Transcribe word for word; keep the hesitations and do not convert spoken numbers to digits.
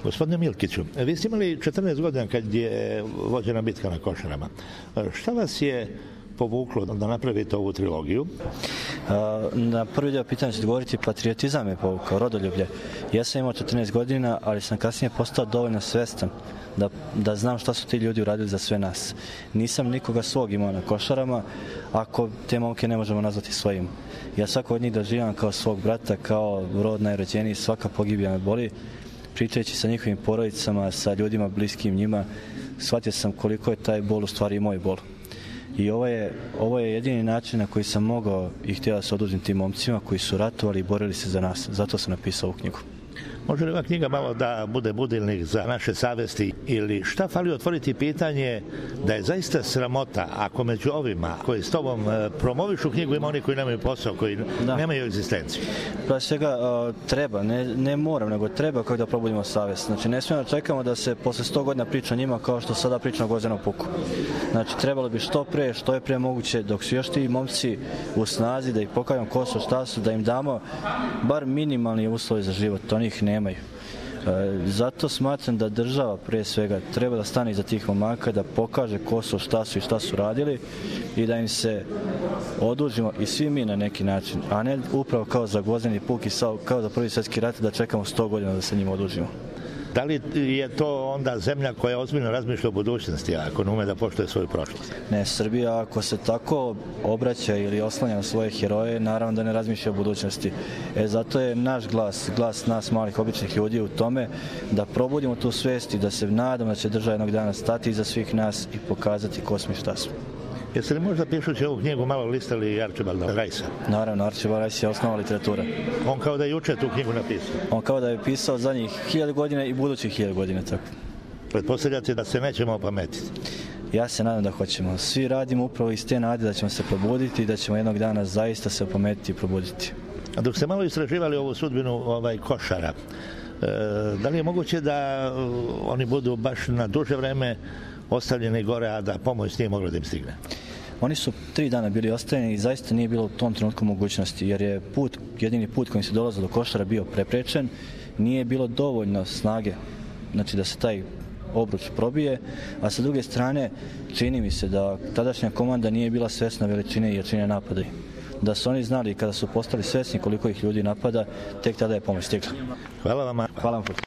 Gospodine Milkiću, vi ste imali četrnaest godina kad je vođena bitka na Košarama. Šta vas je povuklo da napravite ovu trilogiju? Na prvi dio pitanja ću govoriti, patriotizam je povukao, rodoljublje. Ja sam imao četrnaest godina, ali sam kasnije postao dovoljno svestan da, da znam šta su ti ljudi uradili za sve nas. Nisam nikoga svog imao na Košarama, ako te momke ne možemo nazvati svojim. Ja svako od njih doživljam kao svog brata, kao rod najrođeniji, svaka pogibija me boli. Pričajući sa njihovim porodicama, sa ljudima bliskim njima, shvatio sam koliko je taj bol u stvari i moj bol. I ovo je, ovo je jedini način na koji sam mogao i htio da se odužim tim momcima koji su ratovali i borili se za nas. Zato sam napisao ovu knjigu. Može li ova knjiga malo da bude budilnik za naše savesti ili šta fali otvoriti pitanje da je zaista sramota ako među ovima koji s tobom promovišu knjigu ima oni koji nemaju posao, koji da. nemaju egzistenciju? Pa svega uh, treba, ne, ne moram, nego treba kako da probudimo savest. Znači ne smijemo da čekamo da se posle sto godina priča o njima kao što sada priča o Gvozdenom puku. Znači trebalo bi što pre, što je pre moguće dok su još ti momci u snazi da ih pokažemo ko su, šta su, da im damo bar minimalni uslovi za život, oni ih nemaju. E, zato smatram da država pre svega treba da stane iza tih momaka, da pokaže ko su, šta su i šta su radili i da im se odužimo i svi mi na neki način, a ne upravo kao za Gvozdeni puk i kao za Prvi svjetski rat da čekamo sto godina da se njima odužimo. Da li je to onda zemlja koja ozbiljno razmišlja o budućnosti, ako ne ume da poštuje svoju prošlost? Ne, Srbija ako se tako obraća ili oslanja na svoje heroje, naravno da ne razmišlja o budućnosti. E, zato je naš glas, glas nas malih običnih ljudi u tome da probudimo tu svest i da se nadamo da će država jednog dana stati iza svih nas i pokazati ko smo i šta smo. Jeste li možda pišući ovu knjigu malo listali Arčibalda Rajsa? Naravno, Arčibald Rajs je osnova literatura. On kao da je juče tu knjigu napisao? On kao da je pisao zadnjih hiljadu godina i budućih hiljadu godina. Tako. Pretpostavljate da se nećemo opametiti? Ja se nadam da hoćemo. Svi radimo upravo iz te nade da ćemo se probuditi i da ćemo jednog dana zaista se opametiti i probuditi. A dok ste malo istraživali ovu sudbinu ovaj, Košara, e, da li je moguće da oni budu baš na duže vreme ostavljeni gore, a da pomoć nije mogla da im stigne? Oni su tri dana bili ostavljeni i zaista nije bilo u tom trenutku mogućnosti, jer je put, jedini put kojim se dolazilo do Košara bio preprečen, nije bilo dovoljno snage, znači da se taj obruč probije, a sa druge strane čini mi se da tadašnja komanda nije bila svesna veličine i jačine napada. Da su oni znali kada su postali svesni koliko ih ljudi napada, tek tada je pomoć stigla. Hvala vam. Hvala vam.